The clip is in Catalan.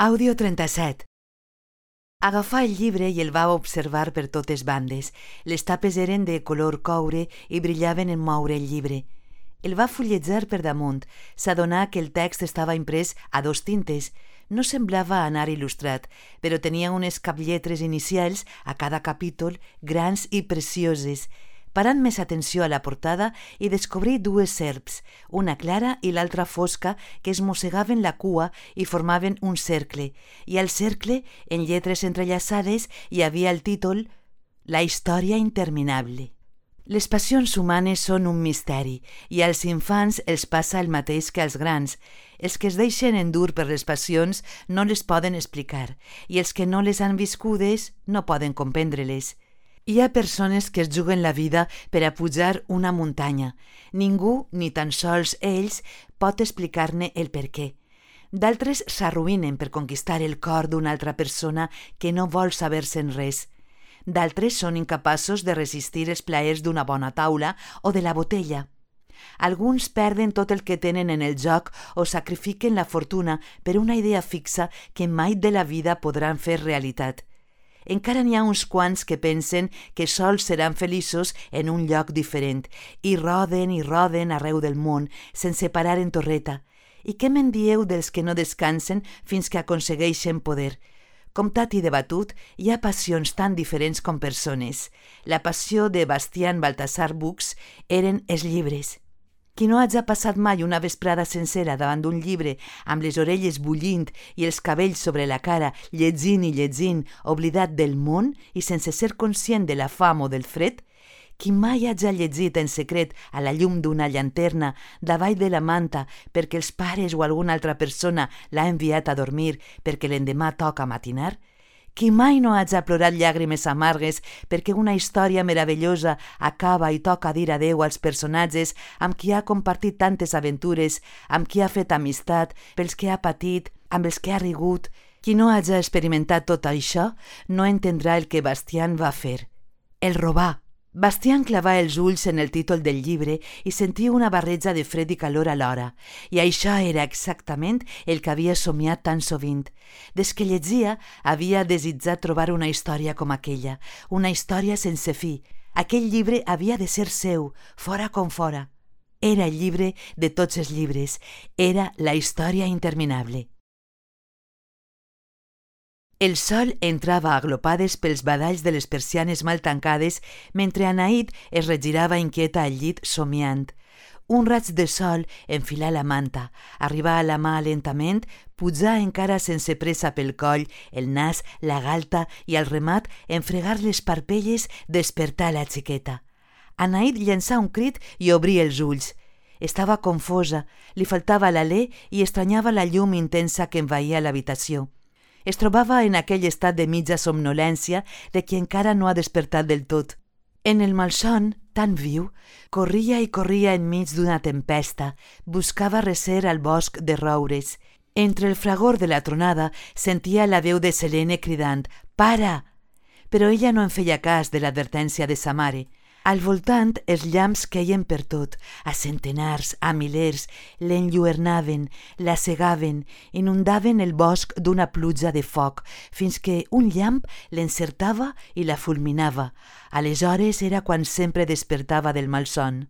Àudio 37. Agafà el llibre i el va observar per totes bandes. Les tapes eren de color coure i brillaven en moure el llibre. El va fulletjar per damunt. S'adonà que el text estava imprès a 2 tintes. No semblava anar il·lustrat, però tenia unes caplletres inicials a cada capítol, grans i precioses. Parant més atenció a la portada i descobrí 2 serps, una clara i l'altra fosca, que es mossegaven la cua i formaven un cercle, i al cercle, en lletres entrellaçades, hi havia el títol «La història interminable». Les passions humanes són un misteri i als infants els passa el mateix que als grans. Els que es deixen endur per les passions no les poden explicar i els que no les han viscudes no poden comprendre-les. Hi ha persones que es juguen la vida per a pujar una muntanya. Ningú, ni tan sols ells, pot explicar-ne el perquè. D'altres s'arruïnen per conquistar el cor d'una altra persona que no vol saber-se'n res. D'altres són incapaços de resistir els plaers d'una bona taula o de la botella. Alguns perden tot el que tenen en el joc o sacrifiquen la fortuna per una idea fixa que mai de la vida podran fer realitat. Encara n'hi ha uns quants que pensen que sols seran feliços en un lloc diferent i roden arreu del món sense parar en torreta. I què me'n dieu dels que no descansen fins que aconsegueixen poder? Comptat i debatut, hi ha passions tan diferents com persones. La passió de Bastian Baltasar Bux eren els llibres. Qui no hagi passat mai una vesprada sencera davant d'un llibre amb les orelles bullint i els cabells sobre la cara, llegint i llegint, oblidat del món i sense ser conscient de la fam o del fred? Qui mai hagi llegit en secret a la llum d'una llanterna davall de la manta perquè els pares o alguna altra persona l'ha enviat a dormir perquè l'endemà toca matinar? Qui mai no hagi plorat llàgrimes amargues perquè una història meravellosa acaba i toca dir adeu als personatges amb qui ha compartit tantes aventures, amb qui ha fet amistat, pels que ha patit, amb els que ha rigut? Qui no hagi experimentat tot això no entendrà el que Bastian va fer. El robar. Bastian clavà els ulls en el títol del llibre i sentia una barreja de fred i calor alhora, i això era exactament el que havia somiat tan sovint. Des que llegia, havia desitjat trobar una història com aquella, una història sense fi. Aquell llibre havia de ser seu, fora com fora. Era el llibre de tots els llibres, era la història interminable. El sol entrava a glopades pels badalls de les persianes mal tancades mentre Anaïd es regirava inquieta al llit somiant. Un raig de sol enfilà la manta, arribà a la mà lentament, pujà encara sense pressa pel coll, el nas, la galta i al remat, en fregar les parpelles, despertà la xiqueta. Anaïd llançà un crit i obrí els ulls. Estava confosa, li faltava l'alè i estranyava la llum intensa que envaïa l'habitació. Es trobava en aquell estat de mitja somnolència de qui encara no ha despertat del tot. En el malson, tan viu, corria i corria enmig d'una tempesta, buscava recer al bosc de roures. Entre el fragor de la tronada sentia la veu de Selene cridant «Para!», però ella no en feia cas de l'advertència de sa mare. Al voltant els llamps queien per tot, a centenars, a milers, l'enlluernaven, la cegaven, inundaven el bosc d'una pluja de foc, fins que un llamp l'encertava i la fulminava. Aleshores era quan sempre despertava del malson.